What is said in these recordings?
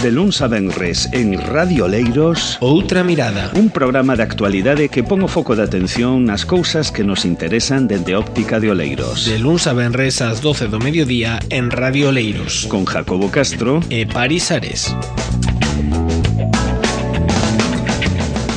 De luns a venres en Radio Oleiros, Outra Mirada, un programa de actualidade que pon o foco de atención nas cousas que nos interesan dende óptica de Oleiros. de luns a venres ás 12 do mediodía en Radio Oleiros, Con Jacobo Castro e Paris Ares.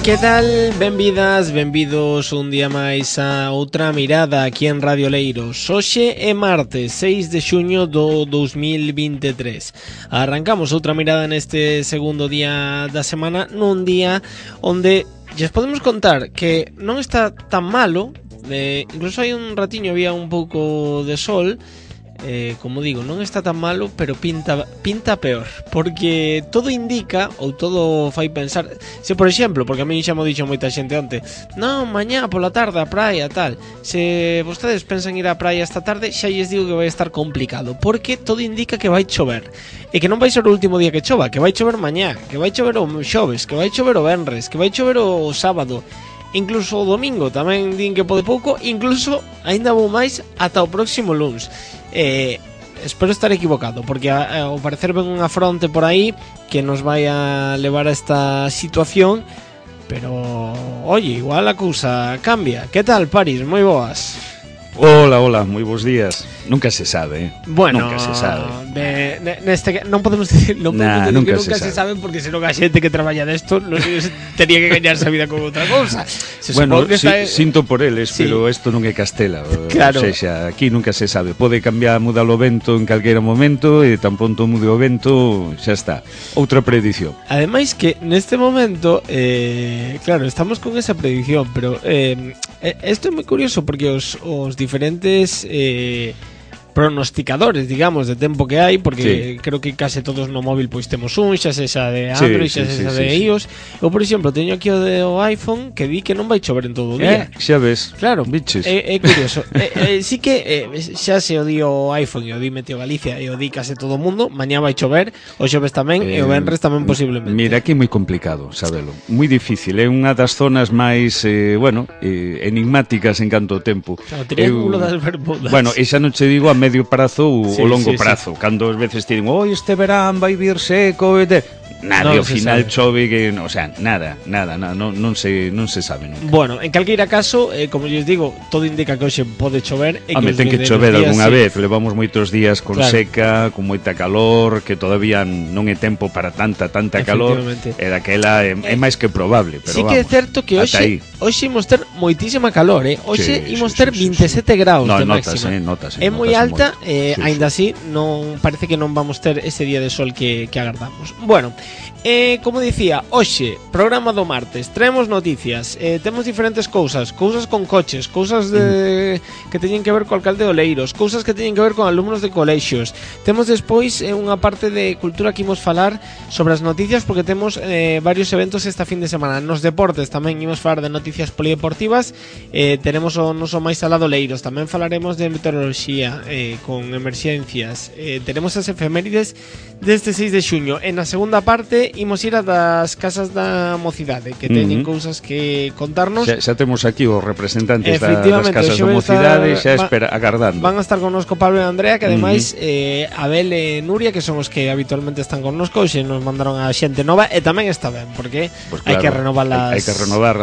Que tal? Benvidas, benvidos un día máis a Outra Mirada aquí en Radio Oleiros. Hoxe é martes 6 de xuño do 2023. Arrancamos Outra Mirada neste segundo día da semana, nun día onde lles podemos contar que non está tan malo, incluso hai un ratiño había un pouco de sol. Como digo, non está tan malo, pero pinta peor, porque todo indica, ou todo fai pensar, se por exemplo, porque a mí xa mo dixo moita xente onte, non, mañá pola tarde a praia, tal, se vostedes pensan ir á praia esta tarde, xa lles digo que vai estar complicado, porque todo indica que vai chover, e que non vai ser o último día que chova, que vai chover mañá, que vai chover o xoves, que vai chover o venres, que vai chover o sábado, incluso o domingo tamén din que pode pouco, incluso aínda vou máis ata o próximo luns. Espero estar equivocado, porque ao parecer ven unha fronte por aí que nos vai a levar a esta situación, pero oye, igual a cousa cambia. Que tal, Paris? Moi boas. Hola, moi bons días. Nunca se sabe, Bueno, nunca se sabe. Neste non podemos decir, que nunca se sabe, porque senón a xente que traballa desto non tenía que gañarse a vida con outra cousa. Bueno, sinto por eles, sí. Pero isto non é Castela, claro. O sexa, aquí nunca se sabe. Pode cambiar, mudar o vento en calquera momento, e tan pronto mude o vento, xa está. Outra predición. Ademais que neste momento, claro, estamos con esa predición, pero isto é moi curioso, porque os diferentes pronosticadores, digamos, de tempo que hai, porque sí. Creo que case todos no móvil pois temos un, xa sexa de Android, xa sexa de iOS. Eu, por exemplo, teño aquí o de o iPhone que di que non vai chover en todo o día. Xa ves. Claro, biches. É curioso. Sí que xa se o di o iPhone e o di Meteo Galicia e o di case todo o mundo, mañá vai chover, o xoves tamén e o venres tamén posiblemente. Mira, aquí é moi complicado, sabelo. Moi difícil, é unha das zonas máis, enigmáticas en canto ao tempo. O triángulo das Bermudas. Bueno, e xa non che digo a medio prazo ou o longo prazo, cando as veces te digo, este verán vai vir seco, nada, ao final chove que, o sea, nada, non se sabe nunca. Bueno, en calqueira caso, como lles digo, todo indica que hoxe pode chover e que ten que chover algunha vez, levamos moitos días con seca, con moita calor, que todavía non é tempo para tanta calor, e daquela é máis que probable, pero sí que é certo que hoxe imos ter moitísima calor, hoxe imos ter 27 graus de máxima. Notase. É moi alta, aínda así non parece que non vamos ter ese día de sol que agardamos. Bueno, como dicía, hoxe, programa do martes, traemos noticias, temos diferentes cousas con coches, cousas que teñen que ver co alcalde de Oleiros, cousas que teñen que ver con alumnos de colexios. Temos despois unha parte de cultura que imos falar sobre as noticias, porque temos varios eventos esta fin de semana. Nos deportes tamén imos falar de noticias polideportivas, teremos o noso máis alado Oleiros, tamén falaremos de meteoroloxía con emerxencias, teremos as efemérides deste 6 de xuño. En a segunda parte imos ir a das casas da mocidade, que teñen cousas que contarnos. Xa temos aquí os representantes das casas da mocidade, xa agardando. Van a estar connosco Pablo e Andrea, que ademais Abel e Nuria, que son os que habitualmente están connosco, e nos mandaron a xente nova, e tamén está ben, porque pues hai que renovar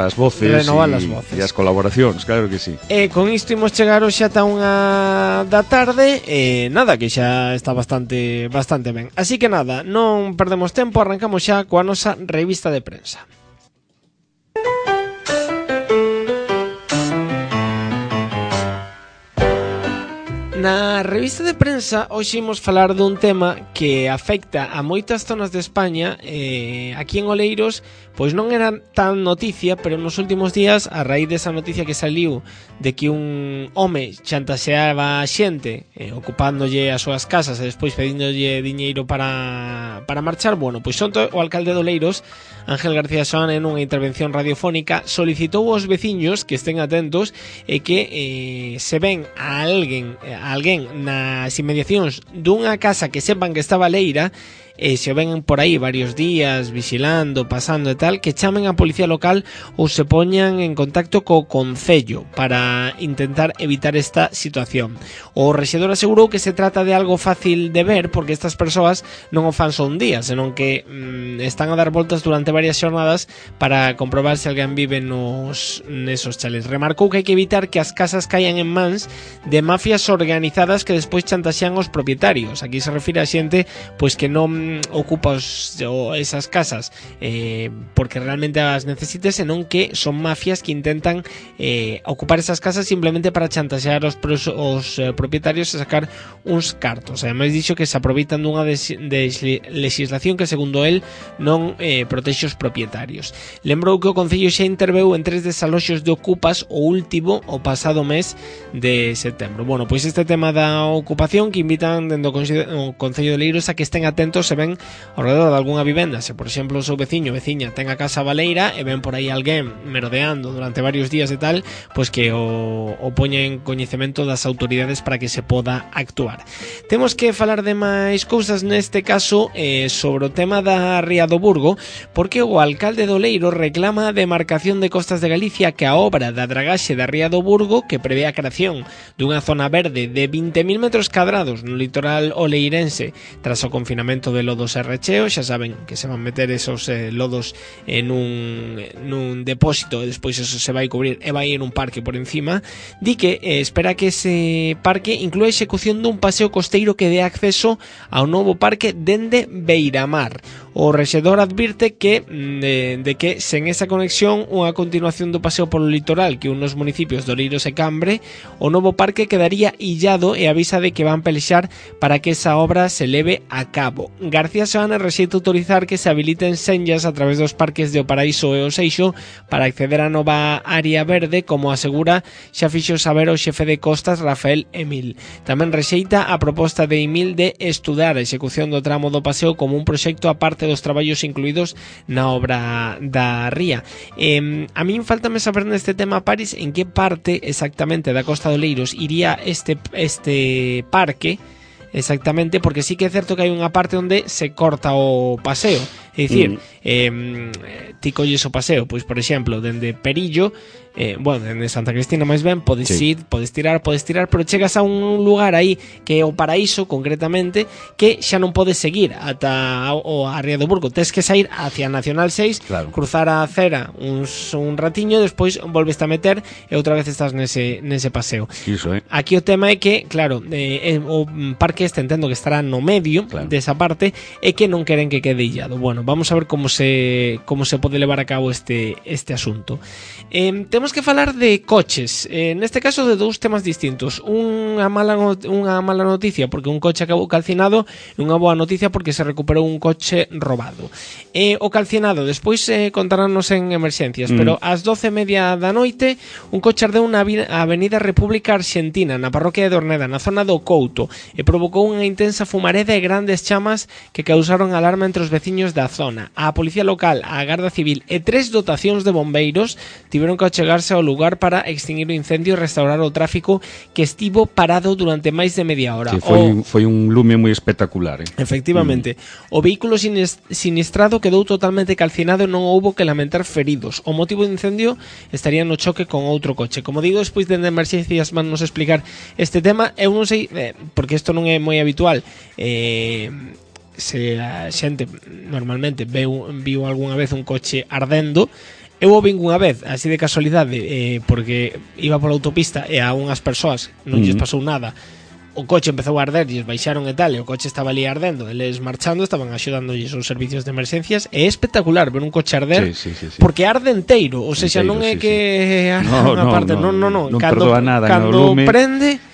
as voces e as colaboracións, claro que sí. Con isto imos chegar hoxe ata unha da tarde, nada, que xa está bastante ben. Así que nada, non perdemos tempo, arrancamos xa coa nosa revista de prensa. Na revista de prensa hoxe imos falar dun tema que afecta a moitas zonas de España. Aquí en Oleiros pois non era tan noticia, pero nos últimos días, a raíz desa noticia que saliu de que un home chantaxeaba a xente ocupándolle as súas casas e despois pedíndolle diñeiro para marchar, bueno, pois o alcalde de Oleiros, Ángel García Soane, nunha intervención radiofónica, solicitou aos veciños que estén atentos e que se ven a alguén alguén nas inmediacións dunha casa que sepan que está baleira, se o ven por aí varios días vigilando, pasando e tal, que chamen a policía local ou se poñan en contacto co concello para intentar evitar esta situación. O rexedor asegurou que se trata de algo fácil de ver porque estas persoas non o fan só un día, senón que están a dar voltas durante varias xornadas para comprobar se alguén vive nesos chalés. Remarcou que hai que evitar que as casas caian en mans de mafias organizadas que despois chantaxean os propietarios. Aquí se refire a xente pois que non ocupa esas casas porque realmente as necesite, senón que son mafias que intentan ocupar esas casas simplemente para chantaxear os propietarios e sacar uns cartos. Ademais dixo que se aproveitan dunha legislación que segundo el non protexe os propietarios. Lembrou que o Concello xa interveu en 3 desaloxos de ocupas, o último o pasado mes de setembro. Bueno, pois este tema da ocupación que invitan dentro do Concello de Leiros a que estén atentos se ven ao redor de algunha vivenda. Se, por exemplo, o seu veciño veciña ten a casa baleira e ven por aí alguén merodeando durante varios días e tal, pois que o poña en coñecemento das autoridades para que se poda actuar. Temos que falar de máis cousas neste caso sobre o tema da Ría do Burgo, porque o alcalde do Leiro reclama a demarcación de Costas de Galicia que a obra da dragaxe da Ría do Burgo, que prevé a creación dunha zona verde de 20.000 metros cadrados no litoral oleirense tras o confinamento de lodos e recheo, xa saben que se van meter esos lodos en un depósito e despois eso se vai cubrir e vai ir un parque por encima, di que espera que ese parque inclúa a execución dun paseo costeiro que dé acceso ao novo parque dende Beiramar. O rexedor advirte que de que sen esa conexión unha continuación do paseo polo litoral que unos municipios de Oleiros e Cambre, o novo parque quedaría illado e avisa de que van pelexar para que esa obra se leve a cabo. García Seoane rexeita autorizar que se habiliten senllas a través dos parques de O Paraíso e O Seixo para acceder á nova área verde, como asegura xa fixo saber o xefe de Costas Rafael Emil. Tamén rexeita a proposta de Emil de estudar a execución do tramo do paseo como un proxecto aparte dos traballos incluídos na obra da ría. A min faltame saber neste tema, Paris, en que parte exactamente da Costa de Oleiros iría este parque exactamente, porque sí que é certo que hai unha parte onde se corta o paseo, é dicir, ti colles o paseo, pois por exemplo, dende Perillo, dende Santa Cristina máis ben, podes ir, podes tirar, pero chegas a un lugar aí que é o Paraíso, concretamente, que xa non podes seguir ata a Ría do Burgo, tes que sair hacia Nacional 6, claro, cruzar a acera un ratiño, despois volves a meter e outra vez estás nese paseo. Iso, Aquí o tema é que, claro, o parque este entendo que estará no medio, claro, desa parte, e que non queren que quede illado. Bueno, vamos a ver como se pode levar a cabo este asunto. Temos que falar de coches, neste caso de dous temas distintos. Unha mala noticia porque un coche acabou calcinado e unha boa noticia porque se recuperou un coche robado. O calcinado despois contarános en emerxencias, pero ás 12:30 da noite un coche ardeu na Avenida República Argentina, na parroquia de Dorneda, na zona do Couto, e provocou unha intensa fumareda e grandes chamas que causaron alarma entre os veciños da zona. A Policía Local, a Garda Civil e 3 dotacións de bombeiros tiveron que achegarse ao lugar para extinguir o incendio e restaurar o tráfico que estivo parado durante máis de media hora. Sí, foi un lume moi espectacular. Efectivamente. O vehículo sinistrado quedou totalmente calcinado e non houbo que lamentar feridos. O motivo do incendio estaría no choque con outro coche. Como digo, despois de emerxencias van nos explicar este tema. Eu non sei, porque isto non é moi habitual, se a xente normalmente viu algunha vez un coche ardendo. Eu o vin unha vez, así de casualidade, porque iba pola autopista e a unhas persoas non lles pasou nada. O coche empezou a arder e baixaron e tal, e o coche estaba ali ardendo, eles marchando, estaban axudándolle os servicios de emerxencias. É espectacular ver un coche arder, sí. Porque arde enteiro, ou seja, non é que arde unha parte, non. Cando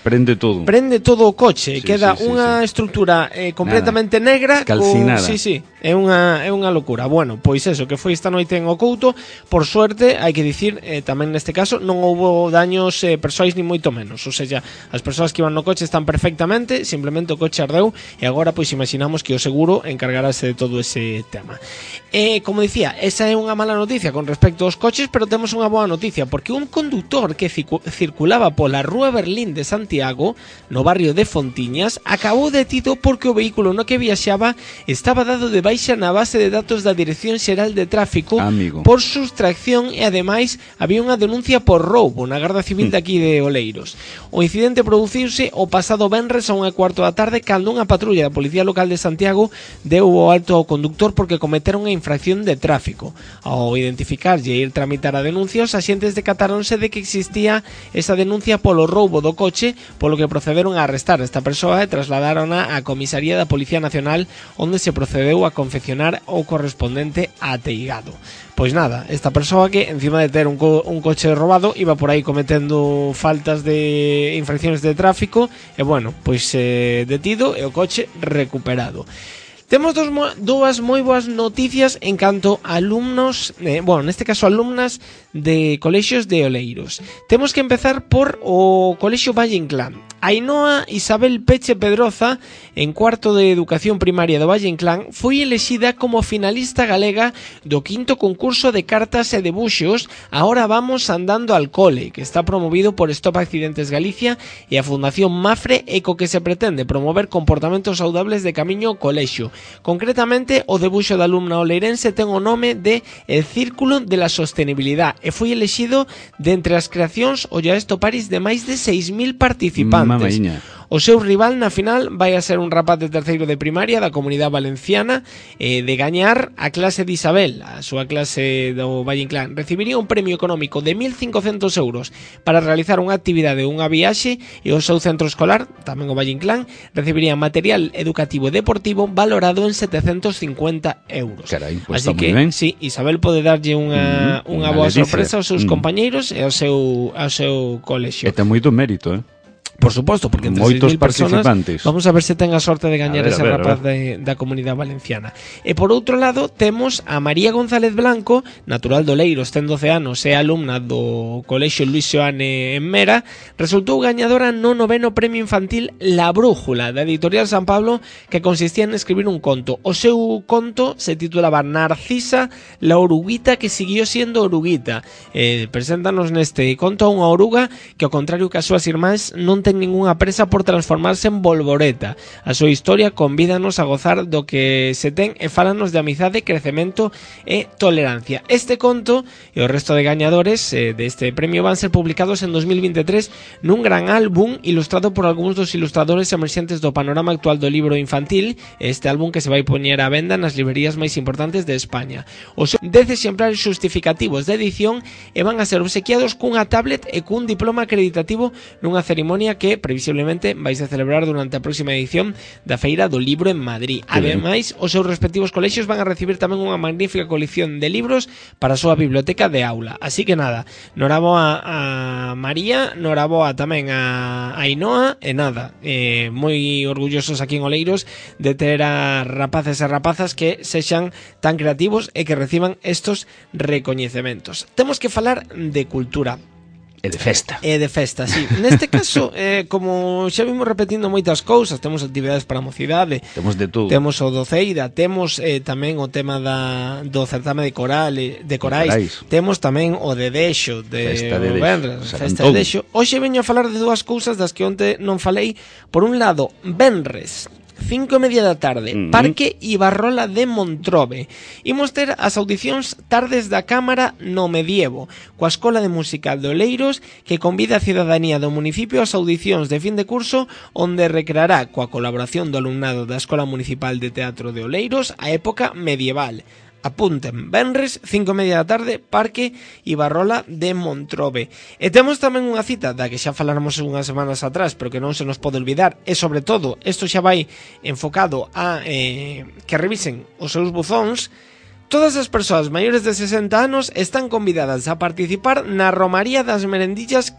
prende todo o coche, queda unha estrutura completamente negra, calcinada. Sí. É unha locura. Bueno, pois eso, que foi esta noite en Ocouto. Por suerte, hai que dicir, tamén neste caso non houbo daños persoais ni moito menos. Ou seja, as persoas que iban no coche están perfectamente, simplemente o coche ardeu e agora pois imaginamos que o seguro encargarase de todo ese tema. Como dicía, esa é unha mala noticia con respecto aos coches, pero temos unha boa noticia, porque un conductor que circulaba pola Rúa Berlín de Santiago, no barrio de Fontiñas, acabou detido porque o vehículo no que viaxaba estaba dado de baixa na base de datos da Dirección Xeral de Tráfico por sustracción e ademais había unha denuncia por roubo na Garda Civil de aquí de Oleiros. O incidente produciuse o pasado venres a 1:15 da tarde cando unha patrulla da Policía Local de Santiago deu o alto ao conductor porque cometeron unha infracción de tráfico. Ao identificarlle e ir tramitar a denuncia, os axentes decatáronse de que existía esa denuncia polo roubo do coche, polo que procederon a arrestar a esta persoa e trasladarona á comisaría da Policía Nacional, onde se procedeu a confeccionar o correspondente ateigado. Pois nada, esta persoa que encima de ter un coche robado iba por aí cometendo faltas de infracciones de tráfico e bueno, pois detido e o coche recuperado. Temos dúas moi boas noticias en canto a alumnos, neste caso alumnas de colexios de Oleiros. Temos que empezar por o Colexio Valle Inclán. Ainhoa Isabel Peche Pedroza, en cuarto de Educación Primaria do Valle Inclán, foi elexida como finalista galega do 5º concurso de cartas e debuxos Ahora vamos andando al cole, que está promovido por Stop Accidentes Galicia e a Fundación Mafre, e co que se pretende promover comportamentos saudables de camiño ao colexio. Concretamente, o debuxo da alumna oleirense ten o nome de El Círculo de la Sostenibilidad e foi elexido de entre as creacións Ollaesto Paris de máis de 6.000 participantes. Mamaíña. O seu rival na final vai a ser un rapaz de terceiro de primaria da Comunidade Valenciana. De gañar a clase de Isabel, a súa clase do Valle Inclán, recibiría un premio económico de 1.500 euros para realizar unha actividade ou unha viaxe, e o seu centro escolar, tamén o Valle Inclán, recibiría material educativo e deportivo valorado en 750 euros. Carai, pues así que, sí, Isabel pode darlle unha boa sorpresa aos seus compañeiros e ao seu colexio. E ten moito mérito, Por suposto, porque entre moitos 6.000 personas, participantes. vamos a ver se ten a sorte de gañar ese rapaz da Comunidade Valenciana. E por outro lado temos a María González Blanco, natural do Leiros, ten 12 anos, é alumna do Colexio Luis Xoane en Mera, resultou gañadora no 9º premio infantil La Brújula da Editorial San Pablo, que consistía en escribir un conto. O seu conto se titulaba Narcisa, la oruguita que siguió siendo oruguita. Preséntanos neste conto a unha oruga que, ao contrario que as súas irmáns, non ten ningunha presa por transformarse en bolboreta. A súa historia convídanos a gozar do que se ten e fálanos de amizade, crecemento e tolerancia. Este conto e o resto de gañadores deste premio van ser publicados en 2023 nun gran álbum ilustrado por algúns dos ilustradores emerxentes do panorama actual do libro infantil, este álbum que se vai poñer á venda nas librerías máis importantes de España. Os 10 exemplares justificativos de edición e van a ser obsequiados cunha tablet e cun diploma acreditativo nunha cerimonia que previsiblemente vais a celebrar durante a próxima edición da Feira do Libro en Madrid. Ademais, os seus respectivos colexios van a recibir tamén unha magnífica colección de libros para a súa biblioteca de aula. Así que nada, noraboa a María, noraboa tamén a Ainhoa, e nada, moi orgullosos aquí en Oleiros de ter a rapaces e rapazas que sexan tan creativos e que reciban estos recoñecementos. Temos que falar de cultura. E de festa. E de festa, sí. Neste caso, como xa vimos repetindo moitas cousas, temos actividades para a mocidade. Temos de todo. Temos o do Ceira, temos tamén o tema do certame de corais. Temos tamén o de Deixo, festa de festa de Deixo. Hoxe veño a falar de dúas cousas das que onte non falei. Por un lado, venres, 5:30 da tarde, Parque Ibarrola de Montrobe. Imos ter as audicións Tardes da Cámara no Medievo, coa Escola de Música de Oleiros, que convida a cidadanía do municipio ás audicións de fin de curso, onde recreará, coa colaboración do alumnado da Escola Municipal de Teatro de Oleiros, a época medieval. Apunten, venres, 5:30 da tarde, Parque Ibarrola de Montrobe. E temos tamén unha cita da que xa faláramos unhas semanas atrás, pero que non se nos pode olvidar, e sobre todo, isto xa vai enfocado a que revisen os seus buzóns. Todas as persoas maiores de 60 anos están convidadas a participar na Romaría das Merendiñas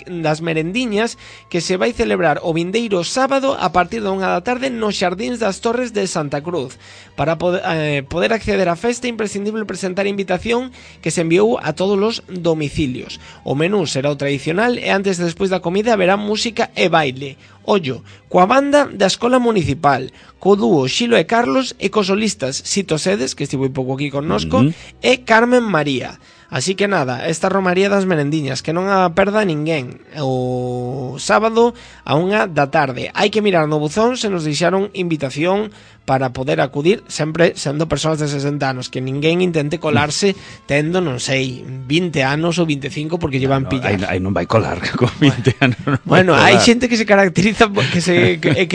que se vai celebrar o vindeiro sábado a partir da 1 da tarde nos Xardíns das Torres de Santa Cruz. Para poder acceder á festa é imprescindible presentar a invitación que se enviou a todos os domicilios. O menú será o tradicional e antes e despois da comida haberá música e baile. Ollo, coa banda da Escola Municipal, co dúo Xilo e Carlos e cos solistas Sito Sedes, que estivo un pouco aquí connosco, e Carmen María. Así que nada, esta Romaría das Merendiñas, que non a perda ninguén, o sábado a 1 da tarde. Hai que mirar no buzón se nos deixaron invitación para poder acudir, sempre sendo persoas de 60 anos, que ninguén intente colarse tendo, non sei, 20 anos ou 25 porque lle van pillar. Aí non vai colar con 20 anos. Bueno, hai xente que se caracteriza que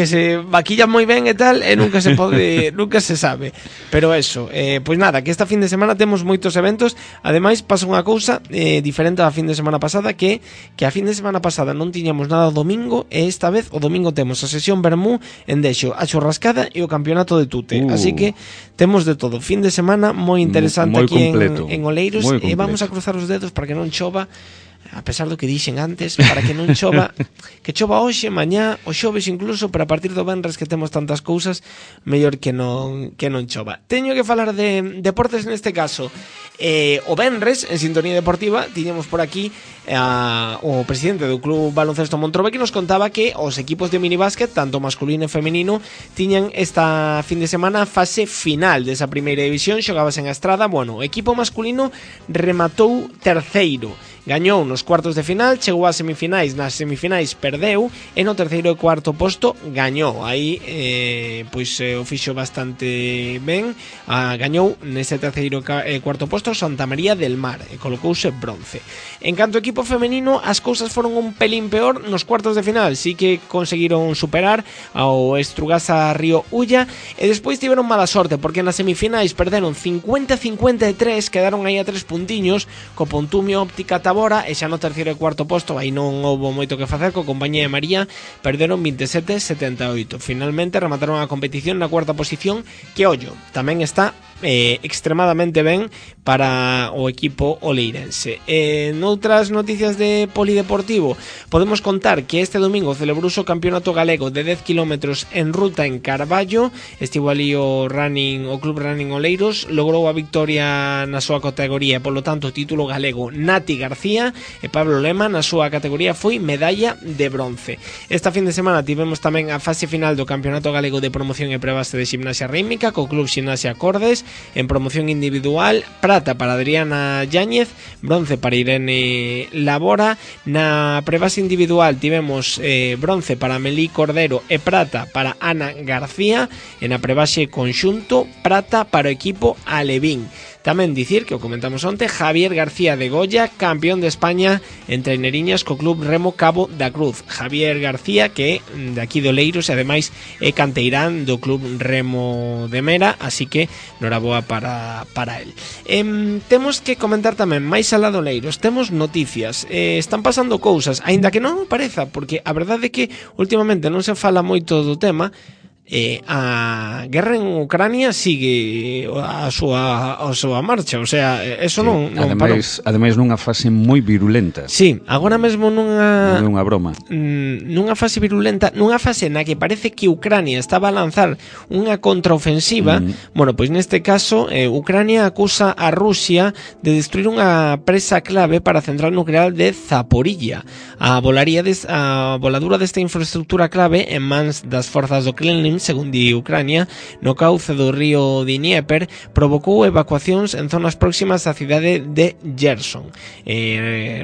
se vaquilla moi ben e tal, e nunca se pode, nunca se sabe. Pero eso, pois nada, que esta fin de semana temos moitos eventos. Ademais, pasa unha cousa diferente á fin de semana pasada, que a fin de semana pasada non tiñamos nada o domingo, e esta vez o domingo temos a sesión Bermú, Endexo, a churrascada e o campeonato de tute. Así que temos de todo. Fin de semana moi interesante moi aquí en Oleiros, e vamos a cruzar os dedos para que non chova, a pesar do que dixen antes, para que non chova, que chova hoxe, mañá, o xoves incluso, pero a partir do venres que temos tantas cousas, mellor que non chova. Teño que falar de deportes neste caso. O venres, en Sintonía Deportiva, tiñamos por aquí o presidente do Club Baloncesto Montrobe, que nos contaba que os equipos de minibásquet, tanto masculino e femenino, tiñan esta fin de semana a fase final desa primeira división. Xogabas en Estrada. Bueno, o equipo masculino rematou terceiro, gañou nos cuartos de final, chegou ás semifinais, nas semifinais perdeu, e no terceiro e cuarto posto gañou. Aí pois o fixo bastante ben, gañou nese terceiro e cuarto posto Santa María del Mar e colocouse bronce. En canto ao equipo femenino, as cousas foron un pelín peor nos cuartos de final. Sí que conseguiron superar ao Estrugasa Río Ulla, e despois tiveron mala sorte porque nas semifinais perderon 50-53, quedaron aí a 3 puntiños co Pontumio Óptica Tabora, e xa no terceiro e cuarto posto aí non houbo moito que facer, co Compañía de María perderon 27-78. Finalmente remataron a competición na cuarta posición, que ollo, tamén está extremadamente ben para o equipo oleirense. Noutras noticias de polideportivo, podemos contar que este domingo celebrouse o Campeonato Galego de 10 km en ruta en Carballo. Estivo ali o Club Running Oleiros, logrou a victoria na súa categoría, e polo tanto o título galego Nati García, e Pablo Lema na súa categoría foi medalla de bronce. Esta fin de semana tivemos tamén a fase final do Campeonato Galego de Promoción e Prebaste de Ximnasia Rítmica, co Club Ximnasia Cordes. En promoción individual, prata para Adriana Yáñez, bronce para Irene Labora. Na prebase individual tivemos bronce para Melí Cordero e prata para Ana García. E na prebase conxunto, prata para o equipo Alevín. Tamén dicir, que o comentamos onte, Javier García de Goya, campeón de España en traineriñas co Club Remo Cabo da Cruz. Javier García, que é de aquí de Oleiros, e ademais é canteirán do Club Remo de Mera, así que noraboa para él. Temos que comentar tamén, máis alá de Oleiros, temos noticias. Están pasando cousas, aínda que non pareza, porque a verdade é que últimamente non se fala moito do tema. A guerra en Ucrania sigue a súa marcha, o sea, eso sí, non ademais nunha fase moi virulenta. Sí, agora mesmo nunha broma. Nunha fase virulenta, nunha fase na que parece que Ucrania estaba a lanzar unha contraofensiva. Bueno, pois neste caso Ucrania acusa a Rusia de destruir unha presa clave para a central nuclear de Zaporilla. A voladura desta infraestructura clave en mans das forzas do Kremlin, según di Ucrania, no cauce do río Dnieper, provocou evacuacións en zonas próximas á cidade de Gerson.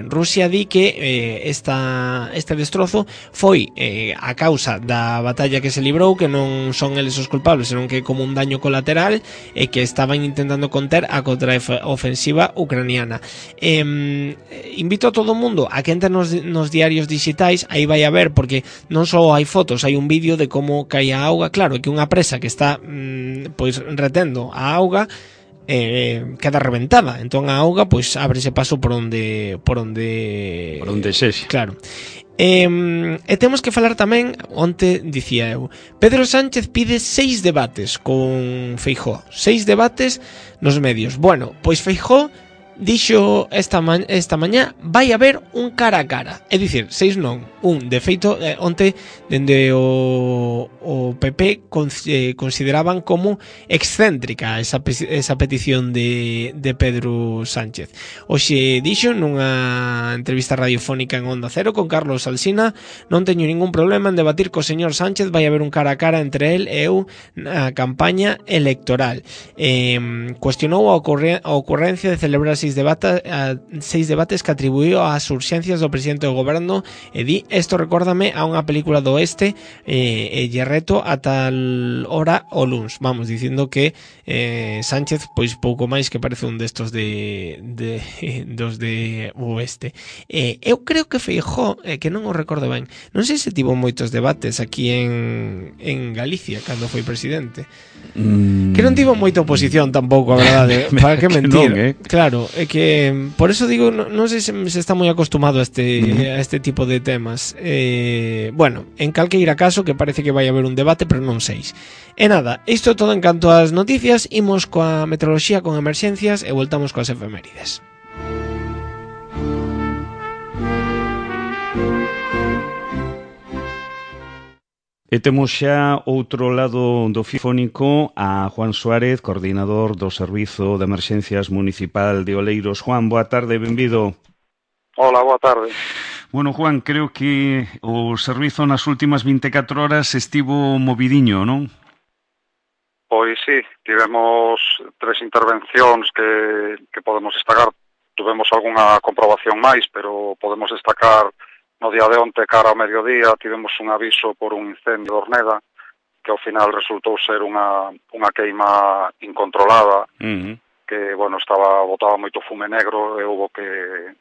Rusia di que este destrozo foi a causa da batalla que se librou, que non son eles os culpables, senón que é como un daño colateral, e que estaban intentando conter a contraofensiva ucraniana. Invito a todo o mundo a que entre nos diarios digitais, aí vai a ver, porque non só hai fotos, hai un vídeo de como cae a auga. Claro, que unha presa que está pois retendo a auga queda reventada, entón a auga pois ábrese paso por onde sexe. Claro. E temos que falar tamén, onte dicía eu, Pedro Sánchez pide 6 debates con Feijóo, 6 debates nos medios. Bueno, pois Feijóo dixo esta mañá vai haber un cara a cara, é dicir, 6 non, un. De feito, onte dende o PP consideraban como excéntrica esa petición de Pedro Sánchez. Hoxe dixo nunha entrevista radiofónica en Onda Cero con Carlos Alsina: non teño ningún problema en debatir co señor Sánchez, vai haber un cara a cara entre el e eu na campaña electoral. Cuestionou a ocurrencia de celebrar 6 debates que atribuíu ás urxencias do presidente do goberno e di: esto recórdame a unha película do oeste e lle reto a tal hora o luns. Vamos, dicindo que Sánchez pois pouco máis que parece un destos dos de oeste. Eu creo que Feijóo, que non o recordo ben, non sei se tivo moitos debates aquí en Galicia cando foi presidente. Que non tivo moita oposición tampouco, a verdade. Para que mentir? Non, Claro, é que por eso digo, non sei se está moi acostumado a este tipo de temas. Bueno, en calqueira caso, que parece que vai haber un debate, pero non 6. E nada, isto todo en canto ás noticias. Imos coa meteoroloxía con emerxencias e voltamos coas efemérides. E temos xa outro lado do fónico a Juan Suárez, coordinador do Servizo de Emerxencias Municipal de Oleiros. Juan, boa tarde, benvido. Hola, boa tarde. Bueno, Juan, creo que o servizo nas últimas 24 horas estivo movidiño, non? Pois sí, tivemos 3 intervencións que podemos destacar. Tuvemos algunha comprobación máis, pero podemos destacar no día de onte, cara ao mediodía, tivemos un aviso por un incendio de Orneda, que ao final resultou ser unha queima incontrolada, que, bueno, botaba moito fume negro e hubo que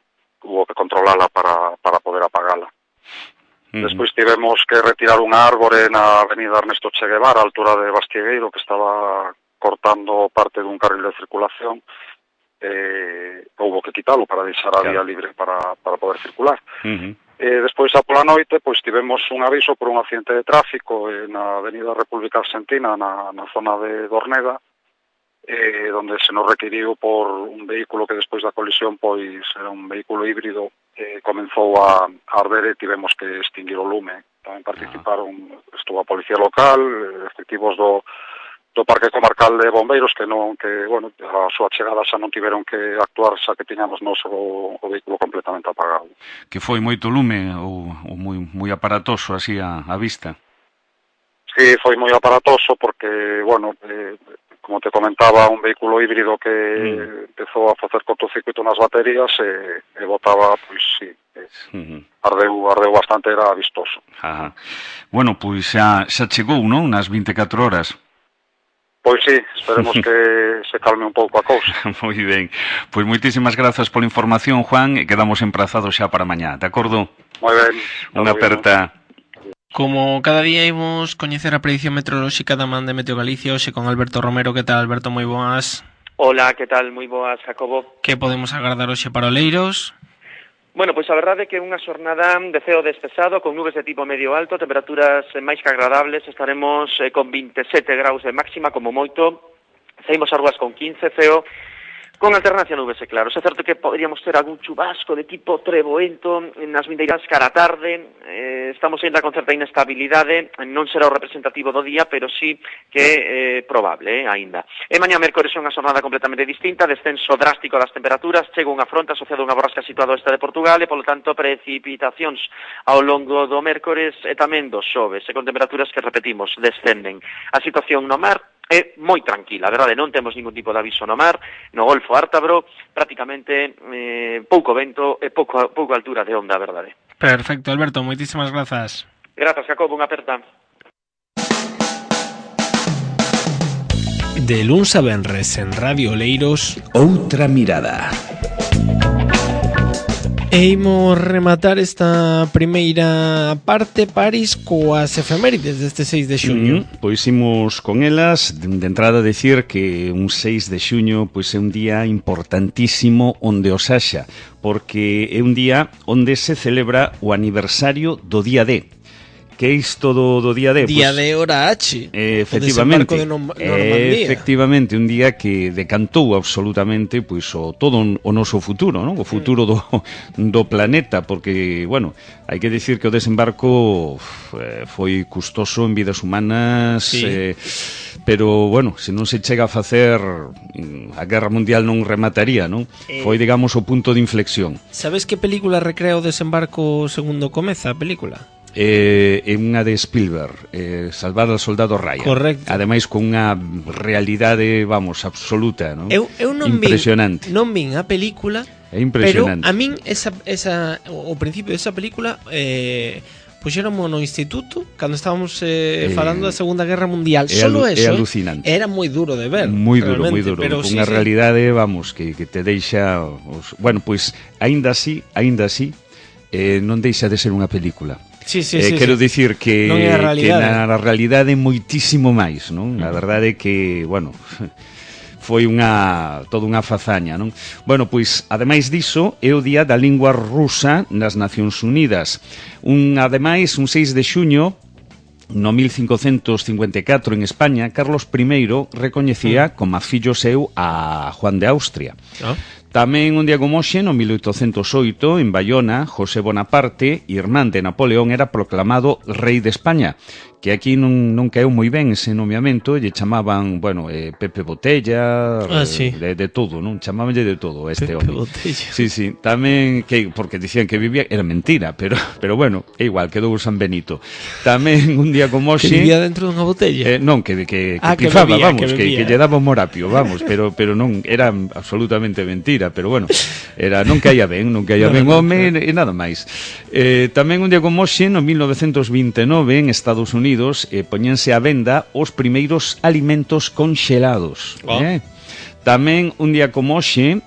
controlala para poder apagala. Despois tivemos que retirar unha árbore na avenida Ernesto Che Guevara, a altura de Bastiegueiro, que estaba cortando parte dun carril de circulación. Houbo que quitalo para deixar a vía libre para poder circular. Despois, pola noite, pois tivemos un aviso por un accidente de tráfico na avenida República Argentina, na zona de Orneda, donde se nos requiriu por un vehículo que despois da colisión, pois era un vehículo híbrido, comenzou a arder e tivemos que extinguir o lume. Tamén estuvo a policía local, efectivos do Parque Comarcal de Bombeiros que bueno, a súa chegada xa non tiveron que actuar, xa que tiñamos o vehículo completamente apagado. Que foi moito lume ou moi aparatoso así a vista? Sí, foi moi aparatoso porque, bueno, como te comentaba, un vehículo híbrido que empezou a facer cortocircuito nas baterías e botaba, pois sí, ardeu bastante, era vistoso. Bueno, pois xa chegou, non, nas 24 horas? Pois sí, esperemos que se calme un pouco a cousa. Moi ben. Pois moitísimas grazas pola información, Juan, e quedamos emprazados xa para mañá, de acordo? Moi ben. Unha aperta. Como cada día imos coñecer a predición meteorolóxica da man de Meteo Galicia, hoxe con Alberto Romero. Que tal, Alberto? Moi boas. Hola, que tal? Moi boas, Jacobo. Que podemos agardar hoxe para Oleiros? Bueno, pois a verdade é que é unha xornada de ceo despexado, con nubes de tipo medio alto, temperaturas máis que agradables, estaremos con 27 graus de máxima, como moito, saímos as rúas con 15, ceo con alternancia nubes e claros. É certo que poderíamos ter algún chubasco de tipo treboento nas vindeiras cara a tarde, estamos ainda con certa inestabilidade, non será o representativo do día, pero sí que é probable, aínda. E mañá mércores é unha xornada completamente distinta, descenso drástico das temperaturas, chega unha fronte asociada a unha borrasca situada ao oeste de Portugal e, polo tanto, precipitacións ao longo do mércores e tamén do xoves, e con temperaturas que, repetimos, descenden. A situación no mar é moi tranquila, a verdade, non temos ningún tipo de aviso no mar, no Golfo Ártabro, prácticamente pouco vento e pouca altura de onda, a verdade. Perfecto, Alberto, moitísimas grazas. Grazas, Jacobo, unha aperta. De luns a venres en Radio Oleiros, Outra mirada. E imos rematar esta primeira parte, Paris, coas efemérides deste 6 de xuño. Pois imos con elas. De entrada decir que un 6 de xuño pois é un día importantísimo onde os haxa, porque é un día onde se celebra o aniversario do día D. Que é isto do día D? Día de hora H. Efectivamente. De Normandía. Efectivamente, un día que decantou absolutamente pois todo o noso futuro, non? O futuro do planeta, porque, bueno, hai que dicir que o desembarco foi custoso en vidas humanas, sí. Pero, bueno, se non se chega a facer, a Guerra Mundial non remataría, non? Foi, digamos, o punto de inflexión. Sabes que película recrea o desembarco segundo comeza a película? É unha de Spielberg, Salvar al soldado Ryan. Correcto. Ademais con unha realidade, vamos, absoluta, non? Eu non impresionante. Non vin a película, é impresionante. Pero a min o principio desa película puxéramos no instituto cando estábamos falando da Segunda Guerra Mundial. Solo eso, alucinante. Era moi duro de ver. Moi duro, pero con unha realidade, vamos, que te deixa... Bueno, pois, aínda así, non deixa de ser unha película. Sí, quero dicir que na realidade moitísimo máis, non? A verdade é que, bueno, foi toda unha fazaña, non? Bueno, pois, ademais diso, é o Día da Lingua Rusa nas Nacións Unidas. Ademais, un 6 de xuño, no 1554 en España, Carlos I recoñecía como fillo seu a Juan de Austria. Tamén un día como hoxe, no 1808, en Bayona, José Bonaparte, irmán de Napoleón, era proclamado rei de España, que aquí non caeu moi ben ese nomeamento, lle chamaban, bueno, Pepe Botella, sí. de todo, non? Chamabanlle de todo este Pepe home. Botella. Sí, tamén, porque dicían que vivía, era mentira, pero bueno, é igual, quedou San Benito. Tamén un día como hoxe... Que vivía dentro dunha botella? Non, que pifaba, bebía, vamos, que lle daba un morapio, vamos, pero non, era absolutamente mentira, pero bueno, non caía ben, home, e nada máis. Tamén un día como hoxe, no 1929, en Estados Unidos, poñense á venda os primeiros alimentos conxelados. Tamén un día como hoxe,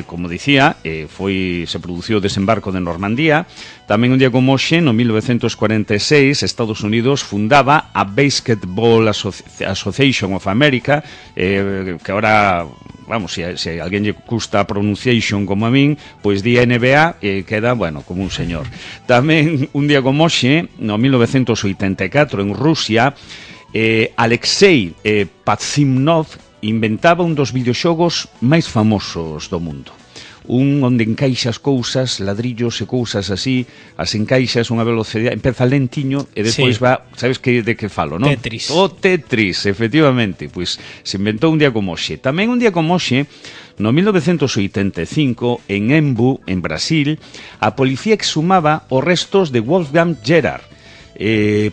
como dicía, se produciu o desembarco de Normandía. Tamén un día como hoxe, no 1946, Estados Unidos fundaba a Basketball Association of America, que ahora... Vamos, se alguén lle custa a pronunciation como a min, pois di NBA e queda, bueno, como un señor. Tamén un día como hoxe, no 1984, en Rusia, Alexei Pazimnov inventaba un dos videoxogos máis famosos do mundo. Onde encaixas cousas, ladrillos e cousas así, as encaixas unha velocidade, empeza lentiño e despois va, sabes de que falo, non? Tetris. O Tetris, efectivamente, pois se inventou un día como hoxe. Tamén un día como hoxe, no 1985, en Embu, en Brasil, a policía exhumaba os restos de Wolfgang Gerhard.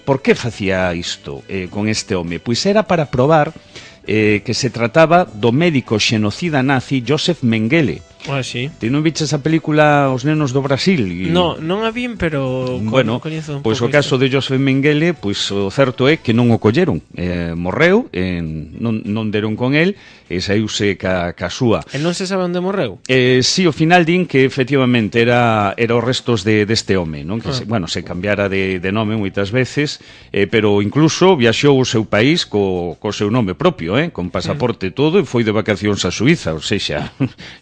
Por que facía isto con este home? Pois era para probar que se trataba do médico xenocida nazi Josef Mengele. Sí. Ti non viches a película Os nenos do Brasil? Non a vin, pero bueno, coñezo un pois pouco o caso de Josef Mengele, pois o certo é que non o colleron, morreu, non deron con el e saíuse ca súa. E non se sabe onde morreu? Si, ao final din que efectivamente era os restos deste home, non? Que se cambiara de nome moitas veces, pero incluso viaxou o seu país co seu nome propio, con pasaporte todo, e foi de vacacións a Suiza, ou sexa,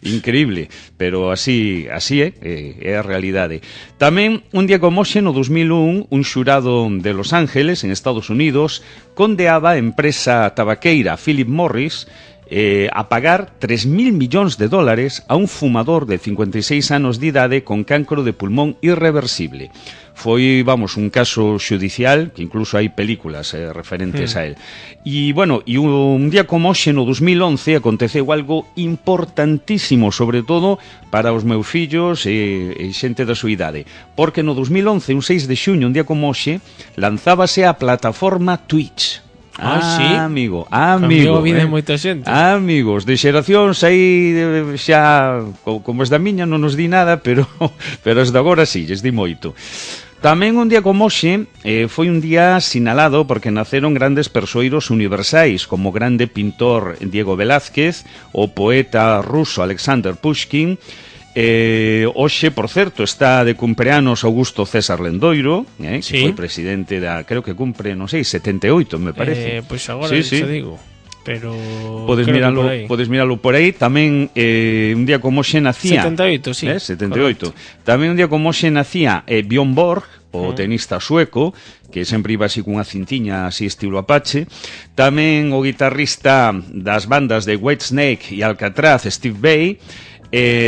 increíble. Pero así é a realidade. Tamén, un día como hoxe, no 2001, un xurado de Los Ángeles, en Estados Unidos, condeaba a empresa tabaqueira Philip Morris a pagar 3.000 millóns de dólares a un fumador de 56 anos de idade con cancro de pulmón irreversible. Foi, vamos, un caso xudicial que incluso hai películas referentes a él. E, bueno, un día como hoxe, no 2011, aconteceu algo importantísimo, sobre todo para os meus fillos e xente da súa idade. Porque no 2011, un 6 de xuño, un día como hoxe, lanzábase a plataforma Twitch. Sí? Amigo. Cambiou a vida de moita xente. Amigos, de xeracións aí xa, como es da miña, non nos di nada, pero as de agora sí, lles di moito. Tamén un día como hoxe foi un día sinalado porque naceron grandes persoeiros universais como o grande pintor Diego Velázquez, o poeta ruso Alexander Pushkin Hoxe, por certo, está de cumpleanos Augusto César Lendoiro, que sí. foi presidente da, creo que cumpre, non sei, 78, me parece. Pois agora sí, te sí. digo. Pero podes miralo por aí. Tamén un día como hoxe nacía 78, sí. 78. Correcto. Tamén un día como hoxe nacía Björn Borg, o tenista sueco, que sempre iba así cunha cintiña así estilo Apache. Tamén o guitarrista das bandas de Whitesnake e Alcatraz, Steve Vai.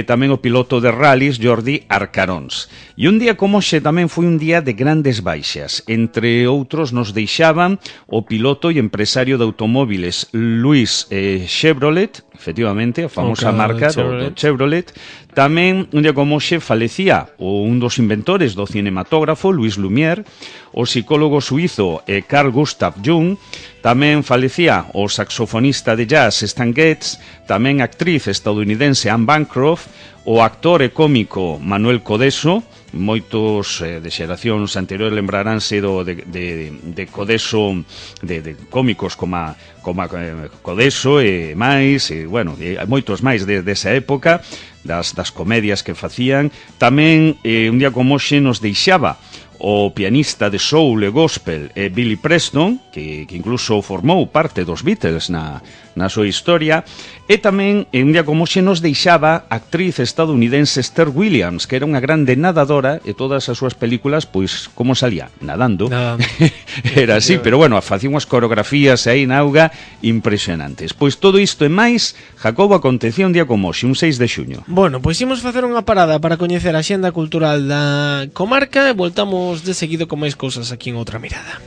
Tamén o piloto de rallies Jordi Arcarons. E un día como hoxe tamén foi un día de grandes baixas. Entre outros nos deixaban o piloto e empresario de automóviles Luis Chevrolet, efectivamente, a famosa marca do Chevrolet. Tamén un día como hoxe falecía un dos inventores do cinematógrafo, Louis Lumière, o psicólogo suizo Carl Gustav Jung. Tamén falecía o saxofonista de jazz Stan Getz, tamén a actriz estadounidense Anne Bancroft, o actor e cómico Manuel Codeso. Moitos de xeracións anteriores lembraránse de Codeso, de cómicos como Codeso e máis, e, bueno, moitos máis desa época, das comedias que facían. Tamén un día como hoxe nos deixaba o pianista de soul e gospel Billy Preston, que incluso formou parte dos Beatles na súa historia. E tamén un día como hoxe nos deixaba a actriz estadounidense Esther Williams, que era unha grande nadadora, e todas as súas películas, pois, como salía? Nadando. Era así, pero bueno, facía unhas coreografías aí na auga impresionantes. Pois todo isto e máis, Jacobo, acontecía un día como hoxe, un 6 de xuño. Bueno, pois imos facer unha parada para coñecer a xenda cultural da comarca e voltamos de seguido con máis cousas aquí en Outra Mirada.